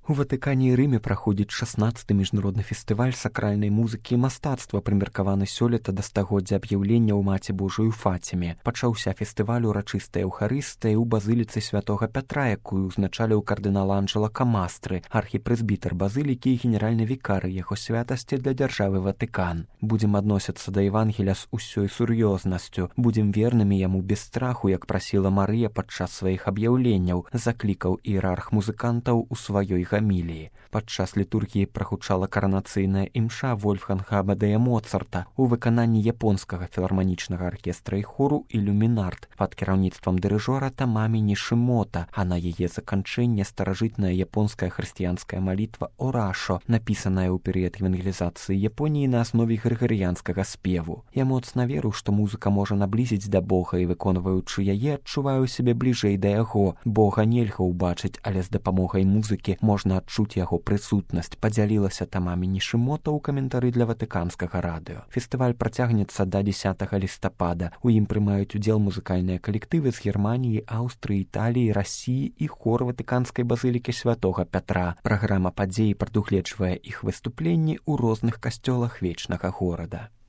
У Ватыкане і Рыме праходзіць 16-ы міжнародны фестываль сакральнай музыкі і мастацтва, прымеркаваны сёлета да стагоддзя аб'яўлення ў Маці Божую Фаціме. Пачаўся фестываль урачыстая эўхарыстыя ў базыліцы святога Пятра, якую ўзначаліў кардынал Анджела Камастры, архіпрэзбітар базылікі і генеральны вікар яго святасці для дзяржавы Ватыкан. Будзем адносіцца да Евангеля з усёй сур'ёзнасцю, будзем вернымі яму без страху, як прасіла Марыя падчас сваіх аб'яўленняў, заклікаў іерарх музыкантаў у сваёй гаміліі. Падчас літургіі прагучала каранацыйная імша Вольфганга Амадея Моцарта у выкананні японскага філарманічнага аркестра і хору «Ілюмінарт» пад кіраўніцтвам дырыжора Тамамі Нішымота, а на яе заканчэнне старажытная японская хрысціянская малітва «Орашо», напісаная ў перыяд евангелізацыі Японіі на аснове грыгарыянскага спеву. Я моцна веру, што музыка можа наблізіць да Бога, і выконваючы яе, адчуваю сябе бліжэй да яго. Бога нельга ўбачыць, але з дапамогай музыкі можна адчуць яго прысутнасць, падзялілася Тамамі Нішымота ў каментары для ватыканскага радыё. Фестываль працягнецца да 10 лістапада. У ім прымаюць удзел музыкальныя калектывы з Германіі, Аўстрыі, Італіі, Расіі і хор ватыканскай базылікі святога Пятра. Праграма падзеі прадугледжвае іх выступленні ў розных касцёлах вечнага горада.